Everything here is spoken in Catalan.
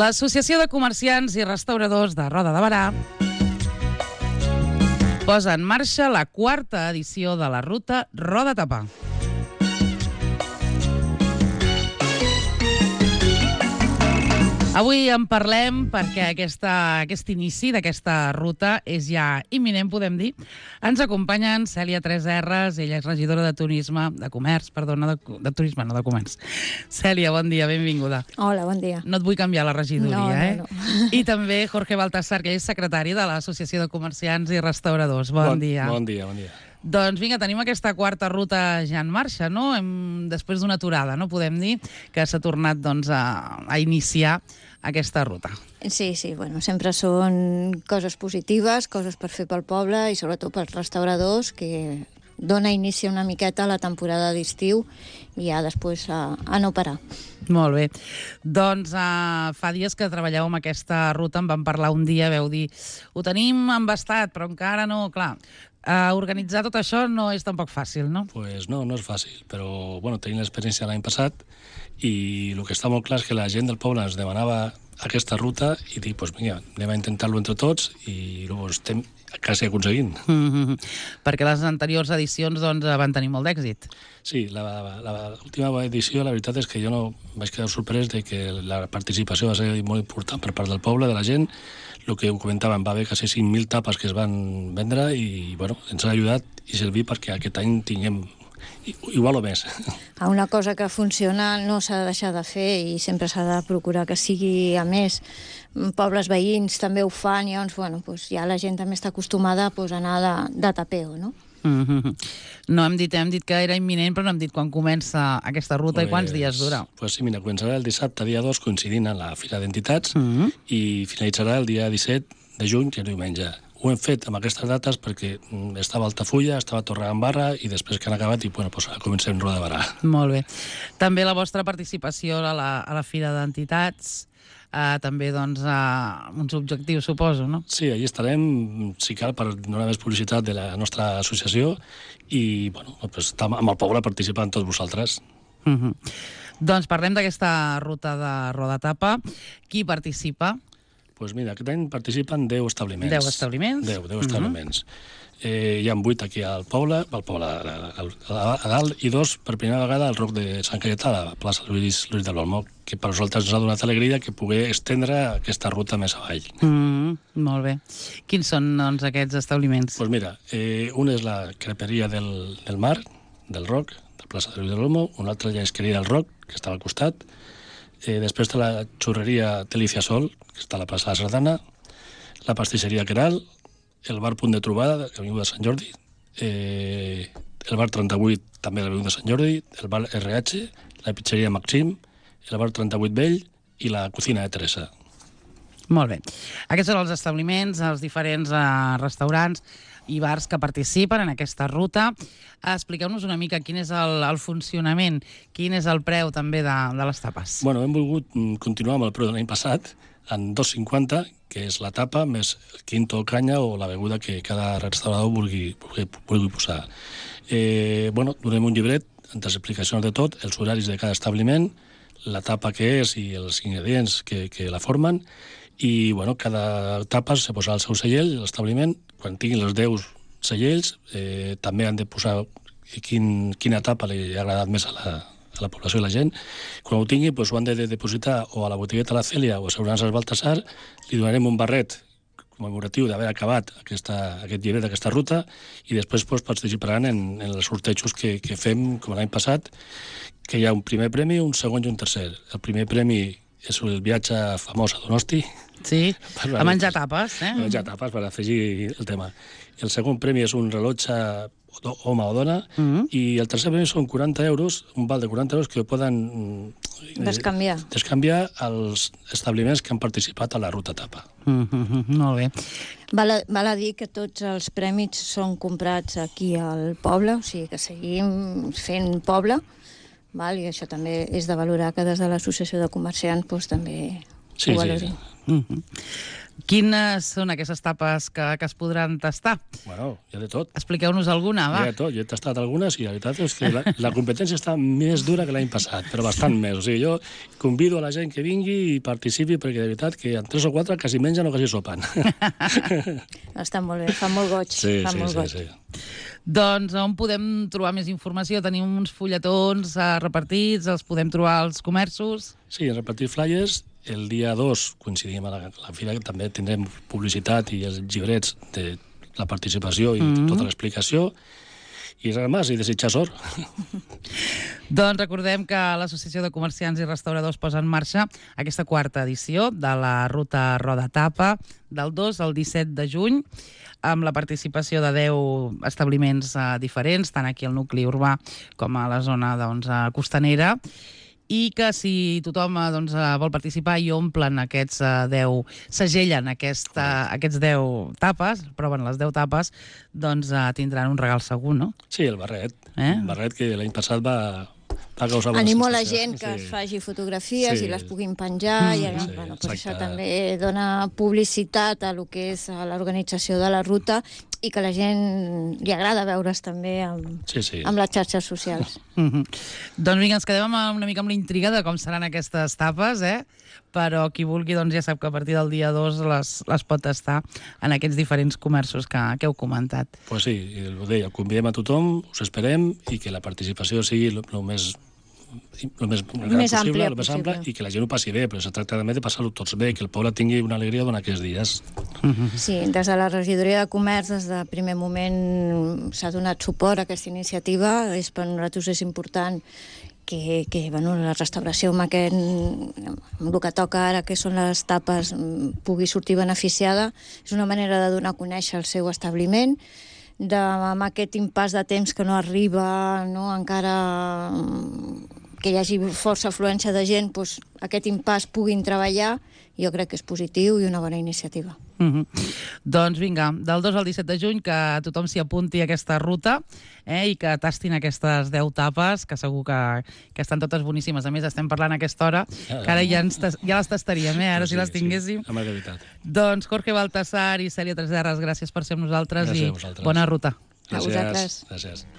L'Associació de Comerciants i Restauradors de Roda de Berà posa en marxa la 4a edició de la ruta Roda Tapa. Avui en parlem perquè aquest inici d'aquesta ruta és ja imminent, podem dir. Ens acompanyen Cèlia 3Rs, ella és regidora de turisme, de comerç, perdona, de turisme, no de comerç. Cèlia, bon dia, benvinguda. Hola, bon dia. No et vull canviar la regidoria, No. I també Jorge Baltasar, que és secretari de l'Associació de Comerciants i Restauradors. Bon dia. Bon dia. Doncs vinga, tenim aquesta 4a ruta ja en marxa, no? Després d'una aturada, no? Podem dir que s'ha tornat a iniciar aquesta ruta. Sí, bueno, sempre són coses positives, coses per fer pel poble i sobretot pels restauradors, que dona inici una miqueta a la temporada d'estiu i ja després a no parar. Molt bé. Doncs fa dies que treballeu amb aquesta ruta, em van parlar un dia, veu dir, ho tenim embastat, però encara no, clar. Organitzar tot això no és tampoc fàcil, no? Pues no és fàcil, però bueno, tenim l'experiència l'any passat i el que està molt clar és que la gent del poble ens demanava aquesta ruta i dic, pues vinga, anem a intentar-lo entre tots i ho estem quasi aconseguint. Perquè les anteriors edicions van tenir molt d'èxit. Sí, l'última edició la veritat és que jo no vaig quedar sorprès de que la participació va ser molt important per part del poble, de la gent. El que ho comentàvem, va haver quasi 5.000 tapes que es van vendre i bueno, ens ha ajudat i servir perquè aquest any tinguem igual o més. Una cosa que funciona no s'ha de deixar de fer i sempre s'ha de procurar que sigui, a més, pobles veïns també ho fan i llavors, bueno, ja la gent també està acostumada a anar de tapeo, no? No hem dit que era imminent, però no hem dit quan comença aquesta ruta i quants dies dura. Pues sí, mira, començarà el dissabte, dia 2, coincidint amb la Fira d'Entitats, i finalitzarà el dia 17 de juny, que és diumenge. Ho hem fet amb aquestes dates perquè estava a Altafulla, estava a Torredembarra i després que han acabat i bueno, pues, comencem Roda de Berà. Molt bé. També la vostra participació a la Fira d'Entitats, també doncs uns objectius, suposo, no? Sí, allí estarem, si cal, per donar més publicitat de la nostra associació i bueno, pues, amb el poble participant tots vosaltres. Doncs parlem d'aquesta ruta de Roda Tapa. Qui participa? Doncs mira, aquest any participen 10 establiments. 10 establiments? 10 establiments. Hi ha 8 aquí al poble, a dalt, i 2 per primera vegada al Roc de Sant Cayetà, a la plaça Lluís de l'Olmo, que per nosaltres ens ha donat alegria que poder estendre aquesta ruta més avall. Molt bé. Quins són, doncs, aquests establiments? Doncs mira, un és la creperia del Mar, del Roc, de la plaça de Lluís de l'Olmo, un altre ja és Querida del Roc, que està al costat. Després té la xurreria Delícia Sol, que està a la plaça de la Sardana, la pastisseria Queral, el bar Punt de Trobada, de l'Avinguda de Sant Jordi, el bar 38, també de l'Avinguda de Sant Jordi, el bar RH, la pizzeria Maxim, el bar 38 Vell i la cocina de Teresa. Molt bé. Aquests són els establiments, els diferents restaurants i bars que participen en aquesta ruta. Expliqueu-nos una mica quin és el funcionament, quin és el preu també de les tapes. Bueno, hem volgut continuar amb el preu de l'any passat, en 2,50, que és la tapa, més el quinto o canya o la beguda que cada restaurador vulgui posar. Bueno, donem un llibret amb les explicacions de tot, els horaris de cada establiment, la tapa que és i els ingredients que la formen, i bueno, cada tapa se posarà el seu segell, l'establiment. Quan tinguin els 10 segells, també han de posar quina tapa li ha agradat més a la població i la gent. Quan ho tingui, doncs ho han de depositar o a la botigueta La Cèlia o a Assegurances Baltasar, li donarem un barret commemoratiu d'haver acabat aquest llibret d'aquesta ruta i després participaran en els sortejos que fem, com l'any passat, que hi ha un primer premi, un segon i un tercer. El primer premi és el viatge famós a Donosti. Sí, a menjar tapes, A menjar tapes, per afegir el tema. El segon premi és un rellotge home o dona, i el tercer premi són 40 euros, un val de 40 euros que poden descanviar als establiments que han participat a la ruta tapa. Molt bé. Val a dir que tots els prèmits són comprats aquí al poble, o sigui que seguim fent poble, i això també és de valorar que des de l'Associació de Comerciants també ho valorin. Bueno, Quines són aquestes tapes que es podran tastar? hi ha de tot. Expliqueu-nos alguna, va. Hi ha de tot. Jo he tastat algunes i la veritat és que la competència està més dura que l'any passat, però bastant més. O sigui, jo convido a la gent que vingui i participi perquè de veritat que en 3 o 4 quasi mengen o quasi sopen. Està molt bé, fa molt goig. fa molt goig. Doncs on podem trobar més informació? Tenim uns fulletons repartits, els podem trobar als comerços? Sí, repartir flyers. El dia 2 coincidim a la fira, que també tindrem publicitat i els llibrets de la participació i tota l'explicació. I res més, i desitjar sort. Doncs recordem que l'Associació de Comerciants i Restauradors posa en marxa aquesta 4a edició de la Ruta Roda Tapa del 2 al 17 de juny, amb la participació de 10 establiments diferents, tant aquí al nucli urbà com a la zona costanera, i que si tothom vol participar i omplen aquests 10, segellen aquests 10 tapes, proven les 10 tapes, doncs tindran un regal segur, no? Sí, el barret. El barret que l'any passat va causar... Animo la gent que es faci fotografies i les puguin penjar, i això també dona publicitat a lo que és l'organització de la ruta, i que a la gent li agrada veure's també amb les xarxes socials. Doncs vinga, ens quedem una mica amb la intriga de com seran aquestes tapes, però qui vulgui ja sap que a partir del dia 2 les pot tastar en aquests diferents comerços que heu comentat. Pues sí, ho deia, convidem a tothom, us esperem, i que la participació sigui el més ampla, i que la gent ho passi bé, però es tracta també de passar-ho tots bé, que el poble tingui una alegria durant aquests dies. Sí, des de la regidoria de comerç, des del primer moment s'ha donat suport a aquesta iniciativa. Per nosaltres és important que la restauració amb el que toca ara, que són les tapes, pugui sortir beneficiada. És una manera de donar a conèixer el seu establiment, amb aquest impàs de temps que no arriba, encara que hi hagi força afluència de gent, aquest impàs puguin treballar. Jo crec que és positiu i una bona iniciativa. Doncs vinga, del 2 al 17 de juny, que tothom s'hi apunti a aquesta ruta i que tastin aquestes 10 tapes, que segur que estan totes boníssimes. A més, estem parlant a aquesta hora, que ara ja les tastaríem, ara si les tinguéssim. Amb la veritat. Doncs Jorge Baltasar i Cèlia Tresserras, gràcies per ser amb nosaltres i bona ruta. A vosaltres. Gràcies.